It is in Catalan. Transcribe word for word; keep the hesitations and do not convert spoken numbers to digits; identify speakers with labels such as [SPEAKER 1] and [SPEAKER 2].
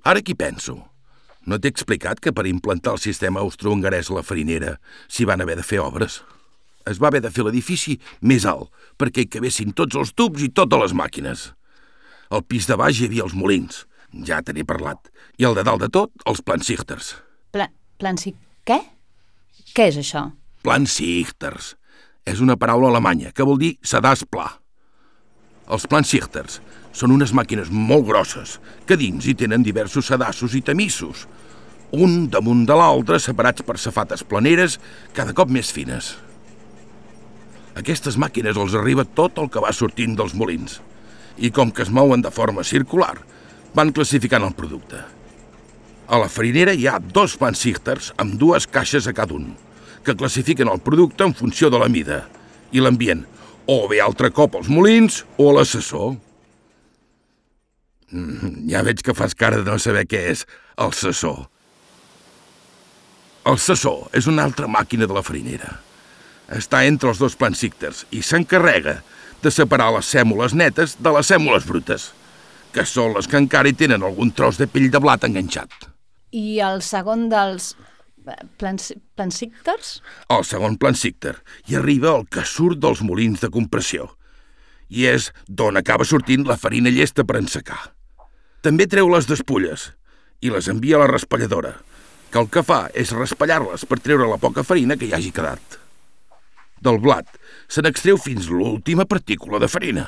[SPEAKER 1] Ara qui penso? No t'he explicat que per implantar el sistema austrohongarès a la farinera s'hi van haver de fer obres? Es va haver de fer l'edifici més alt perquè hi cabessin tots els tubs i totes les màquines. Al pis de baix hi havia els molins, ja te n'he parlat, i al de dalt de tot, els plansichters.
[SPEAKER 2] Pla... plansi... què? Què és això?
[SPEAKER 1] Plansichters. És una paraula alemanya que vol dir sedàs pla. Els plansichters són unes màquines molt grosses que dins hi tenen diversos sedassos i tamissos, un damunt de l'altre separats per safates planeres cada cop més fines. Aquestes màquines els arriba tot el que va sortint dels molins i com que es mouen de forma circular, van classificant el producte. A la farinera hi ha dos plansichters amb dues caixes a cada un, que classifiquen el producte en funció de la mida i l'envien o bé altre cop als molins o a l'assessor. Mm, ja veig que fas cara de no saber què és el sassó. El sassó és una altra màquina de la farinera. Està entre els dos plansichters i s'encarrega de separar les sèmoles netes de les sèmoles brutes, que són les que encara hi tenen algun tros de pell de blat enganxat.
[SPEAKER 2] I el segon dels plans... plansichters?
[SPEAKER 1] El segon plansichter hi arriba el que surt dels molins de compressió i és d'on acaba sortint la farina llesta per ensecar. També treu les despulles i les envia a la raspalladora, que el que fa és raspallar-les per treure la poca farina que hi hagi quedat. Del blat se n'extreu fins l'última partícula de farina.